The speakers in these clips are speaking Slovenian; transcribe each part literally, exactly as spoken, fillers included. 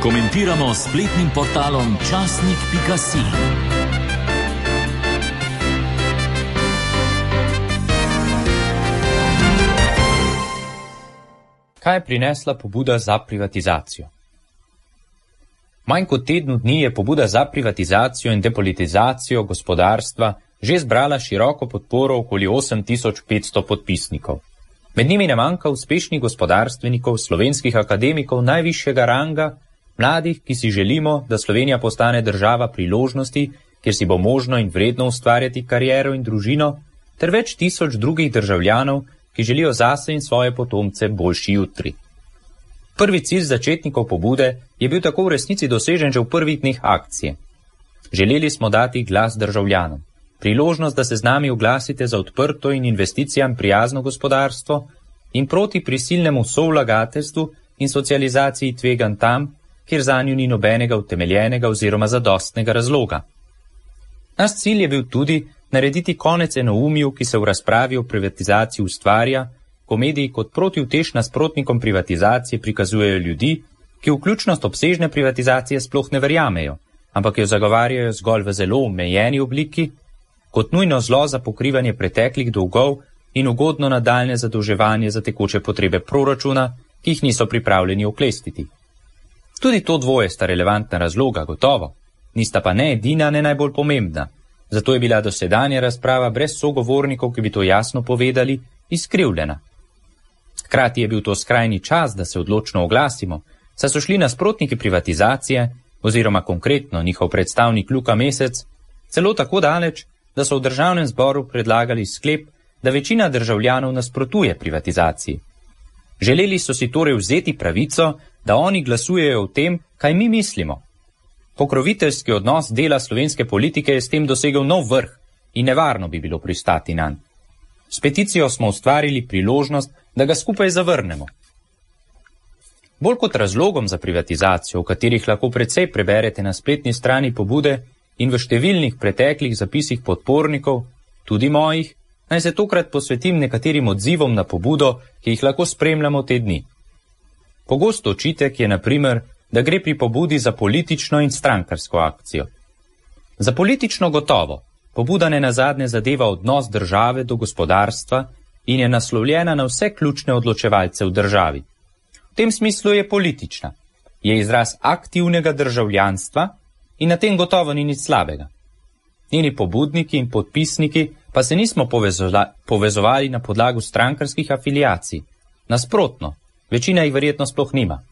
Komentiramo s spletnim portalom časnik pika si. Kaj je prinesla pobuda za privatizacijo? Manj kot tednu dni je pobuda za privatizacijo in depolitizacijo gospodarstva že zbrala široko podporo okoli osem tisoč petsto podpisnikov. Med njimi ne manjka uspešnih gospodarstvenikov, slovenskih akademikov najvišjega ranga, mladih, ki si želimo, da Slovenija postane država priložnosti, kjer si bo možno in vredno ustvarjati kariero in družino, ter več tisoč drugih državljanov, ki želijo zase in svoje potomce boljši jutri. Prvi cilj začetnikov pobude je bil tako v resnici dosežen že v prvih dneh akcije. Želeli smo dati glas državljanom, priložnost, da se z nami oglasite za odprto in investicijam prijazno gospodarstvo in proti prisilnemu sovlagateljstvu in socializaciji tveganj tam, kjer zanju ni nobenega utemeljenega oziroma zadostnega razloga. Naš cilj je bil tudi narediti konec enoumju, ki se v razpravi o privatizaciji ustvarja, ko mediji kot protiutež nasprotnikom privatizacije prikazujejo ljudi, ki vključnost obsežne privatizacije sploh ne verjamejo, ampak jo zagovarjajo zgolj v zelo omejeni obliki, kot nujno zlo za pokrivanje preteklih dolgov in ugodno nadaljne zadolževanje za tekoče potrebe proračuna, ki jih niso pripravljeni oklestiti. Tudi to dvoje sta relevantna razloga, gotovo, nista pa ne edina, ne najbolj pomembna. Zato je bila dosedanja razprava brez sogovornikov, ki bi to jasno povedali, izkrivljena. Hkrati je bil to skrajni čas, da se odločno oglasimo, saj so šli nasprotniki privatizacije, oziroma konkretno njihov predstavnik Luka Mesec, celo tako daleč, da so v državnem zboru predlagali sklep, da večina državljanov nasprotuje privatizaciji. Želeli so si torej vzeti pravico, da oni glasujejo o tem, kaj mi mislimo. Pokroviteljski odnos dela slovenske politike je s tem dosegel nov vrh in nevarno bi bilo pristati nanj. S peticijo smo ustvarili priložnost, da ga skupaj zavrnemo. Bolj kot razlogom za privatizacijo, v katerih lahko precej preberete na spletni strani pobude in v številnih preteklih zapisih podpornikov, tudi mojih, naj se tokrat posvetim nekaterim odzivom na pobudo, ki jih lahko spremljamo te dni. Pogosto očitek je, na primer, da gre pri pobudi za politično in strankarsko akcijo. Za politično gotovo, pobuda ne nazadnje zadeva odnos države do gospodarstva in je naslovljena na vse ključne odločevalce v državi. V tem smislu je politična, je izraz aktivnega državljanstva in na tem gotovo ni nič slabega. Njeni pobudniki in podpisniki pa se nismo povezovali na podlagu strankarskih afiliacij. Nasprotno, večina jih verjetno sploh nima.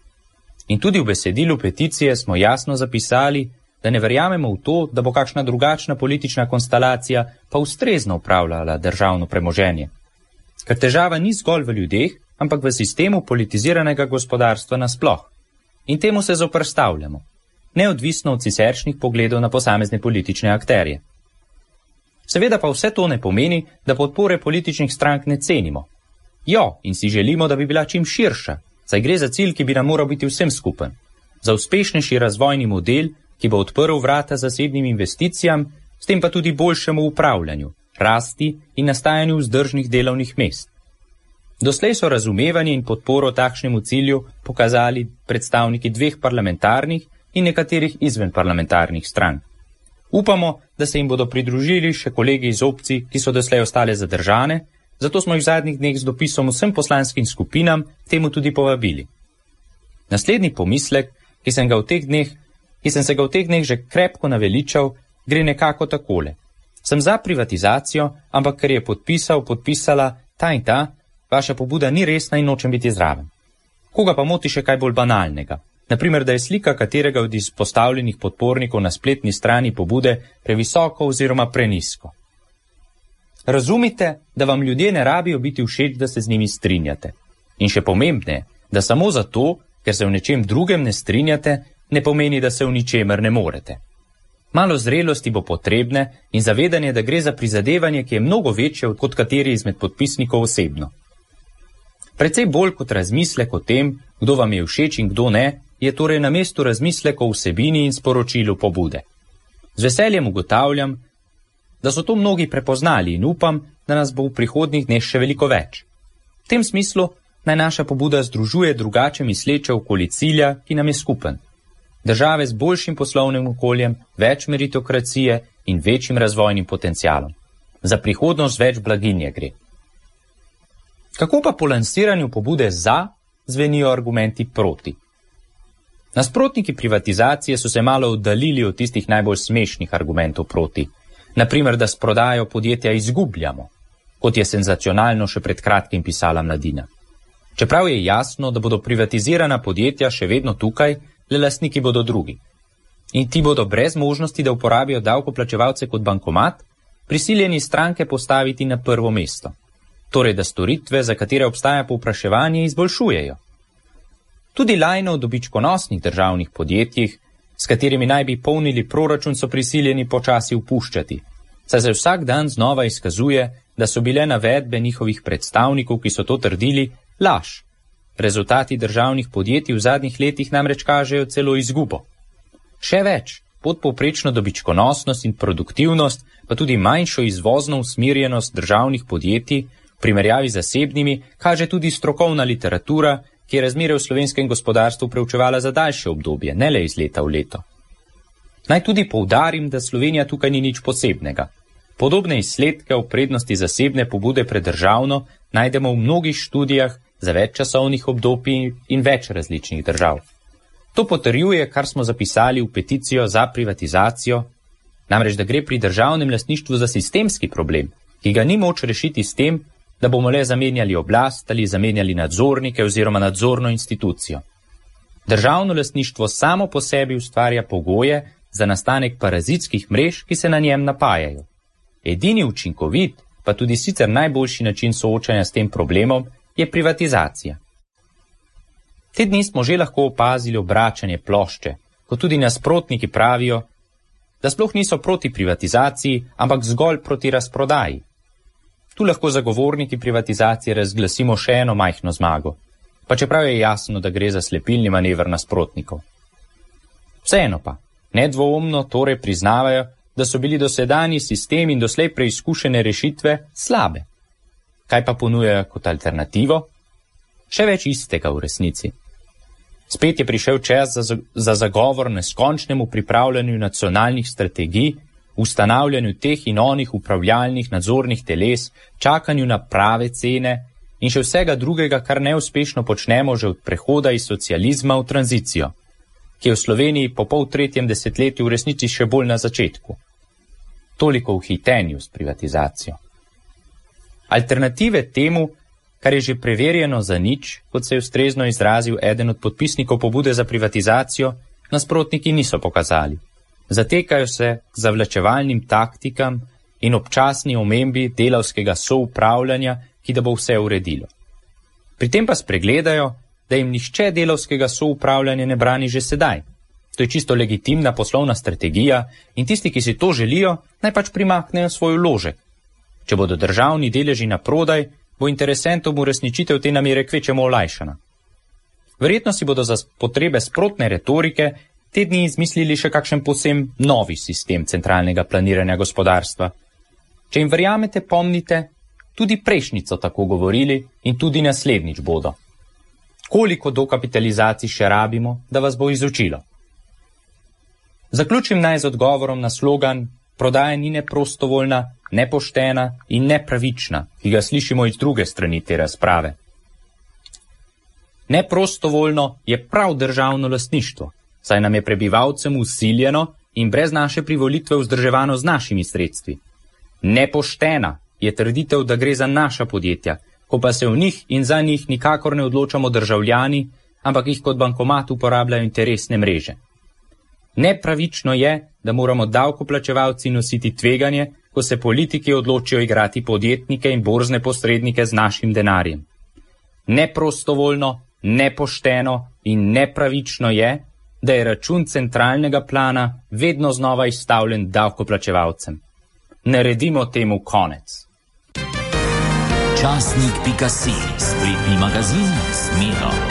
In tudi v besedilu peticije smo jasno zapisali, da ne verjamemo v to, da bo kakšna drugačna politična konstelacija pa ustrezno upravljala državno premoženje. Ker težava ni zgolj v ljudeh, ampak v sistemu politiziranega gospodarstva nasploh. In temu se zoperstavljamo, neodvisno od siceršnjih pogledov na posamezne politične akterje. Seveda pa vse to ne pomeni, da podpore političnih strank ne cenimo. Jo, in si želimo, da bi bila čim širša, saj gre za cilj, ki bi nam moral biti vsem skupen. Za uspešnejši razvojni model, ki bo odprl vrata zasebnim investicijam, s tem pa tudi boljšemu upravljanju, rasti in nastajanju vzdržnih delovnih mest. Doslej so razumevanje in podporo takšnemu cilju pokazali predstavniki dveh parlamentarnih in nekaterih izvenparlamentarnih strank. Upamo, da se jim bodo pridružili še kolegi iz opcij, ki so doslej ostale zadržane, zato smo jih v zadnjih dneh z dopisom vsem poslanskim skupinam temu tudi povabili. Naslednji pomislek, ki sem, ga v teh dneh, ki sem se ga v teh dneh že krepko naveličal, gre nekako takole. Sem za privatizacijo, ampak ker je podpisal, podpisala ta in ta, vaša pobuda ni resna in nočem biti zraven. Koga pa moti še kaj bolj banalnega? Naprimer, da je slika katerega od izpostavljenih podpornikov na spletni strani pobude previsoko oziroma prenisko. Razumite, da vam ljudje ne rabijo biti všeč, da se z njimi strinjate. In še pomembneje, da samo zato, ker se v nečem drugem ne strinjate, ne pomeni, da se v ničemer ne morete. Malo zrelosti bo potrebne in zavedanje, da gre za prizadevanje, ki je mnogo večje kot kateri izmed podpisnikov osebno. Precej bolj kot razmislek o tem, kdo vam je všeč in kdo ne, je torej na mestu razmislek o vsebini in sporočilu pobude. Z veseljem ugotavljam, da so to mnogi prepoznali in upam, da nas bo v prihodnjih dneh še veliko več. V tem smislu naj naša pobuda združuje drugače misleče okoli cilja, ki nam je skupen. države z boljšim poslovnim okoljem, več meritokracije in večjim razvojnim potencialom. Za prihodnost več blaginje gre. Kako pa po lansiranju pobude za zvenijo argumenti proti? Nasprotniki privatizacije so se malo oddaljili od tistih najbolj smešnih argumentov proti. Naprimer, da s prodajo podjetja izgubljamo, kot je senzacionalno še pred kratkim pisala Mladina. Čeprav je jasno, da bodo privatizirana podjetja še vedno tukaj, le lastniki bodo drugi. In ti bodo brez možnosti, da uporabijo davkoplačevalce kot bankomat, prisiljeni stranke postaviti na prvo mesto. Torej, da storitve, za katere obstaja povpraševanje, izboljšujejo. Tudi lajne v dobičkonosnih državnih podjetjih, s katerimi naj bi polnili proračun, so prisiljeni počasi upuščati, saj se vsak dan znova izkazuje, da so bile navedbe njihovih predstavnikov, ki so to trdili, laž. Rezultati državnih podjetij v zadnjih letih namreč kažejo celo izgubo. Še več, podpovprečno dobičkonosnost in produktivnost, pa tudi manjšo izvozno usmerjenost državnih podjetij v primerjavi z zasebnimi, kaže tudi strokovna literatura, ki je razmere v slovenskem gospodarstvu preučevala za daljše obdobje, ne le iz leta v leto. Naj tudi poudarim, da Slovenija tukaj ni nič posebnega. Podobne izsledke o prednosti zasebne pobude pred državno najdemo v mnogih študijah za več časovnih obdobij in več različnih držav. To potrjuje, kar smo zapisali v peticijo za privatizacijo, namreč da gre pri državnem lastništvu za sistemski problem, ki ga ni moč rešiti s tem, da bomo le zamenjali oblast ali zamenjali nadzornike oziroma nadzorno institucijo. Državno lastništvo samo po sebi ustvarja pogoje za nastanek parazitskih mrež, ki se na njem napajajo. Edini učinkovit, pa tudi sicer najboljši način soočanja s tem problemom, je privatizacija. Te dni smo že lahko opazili obračanje plošče, ko tudi nasprotniki pravijo, da sploh niso proti privatizaciji, ampak zgolj proti razprodaji. Tu lahko zagovorniki privatizacije razglasimo še eno majhno zmago, pa čeprav je jasno, da gre za slepilni manever nasprotnikov. Vseeno pa, nedvoumno torej priznavajo, da so bili dosedanji sistem in doslej preizkušene rešitve slabe. Kaj pa ponujajo kot alternativo? Še več istega v resnici. Spet je prišel čas za, za zagovor neskončnemu pripravljanju nacionalnih strategij, ustanavljanju teh in onih upravljalnih nadzornih teles, čakanju na prave cene in še vsega drugega, kar neuspešno počnemo že od prehoda iz socializma v tranzicijo, ki je v Sloveniji po pol tretjem desetletju v resnici še bolj na začetku. Toliko v hitenju s privatizacijo. Alternative temu, kar je že preverjeno za nič, kot se je ustrezno izrazil eden od podpisnikov pobude za privatizacijo, nasprotniki niso pokazali. Zatekajo se k zavlačevalnim taktikam in občasni omembi delavskega soupravljanja, ki da bo vse uredilo. Pri tem pa spregledajo, da jim nihče delavskega soupravljanja ne brani že sedaj. To je čisto legitimna poslovna strategija in tisti, ki si to želijo, naj pač primaknejo svoj vložek. Če bodo državni deleži na prodaj, bo interesentom uresničitev te namere kvečemo olajšana. Verjetno si bodo za potrebe sprotne retorike te dni izmislili še kakšen posem novi sistem centralnega planiranja gospodarstva. Če jim verjamete, pomnite, tudi prejšnjico tako govorili in tudi naslednjič bodo. Koliko dokapitalizacij še rabimo, da vas bo izučilo? Zaključim naj z odgovorom na slogan prodaja ni ne prostovoljna, nepoštena in nepravična, ki ga slišimo iz druge strani te razprave. Neprostovoljno je prav državno lastništvo, saj nam je prebivalcem usiljeno in brez naše privolitve vzdrževano z našimi sredstvi. Nepoštena je trditev, da gre za naša podjetja, ko pa se v njih in za njih nikakor ne odločamo državljani, ampak jih kot bankomat uporabljajo interesne mreže. Nepravično je, da moramo davkoplačevalci nositi tveganje, ko se politiki odločijo igrati podjetnike in borzne posrednike z našim denarjem. Neprostovoljno, nepošteno in nepravično je, da je račun centralnega plana vedno znova izstavljen davkoplačevalcem. Naredimo temu konec. Časnik pika si, spletni magazin s Miro.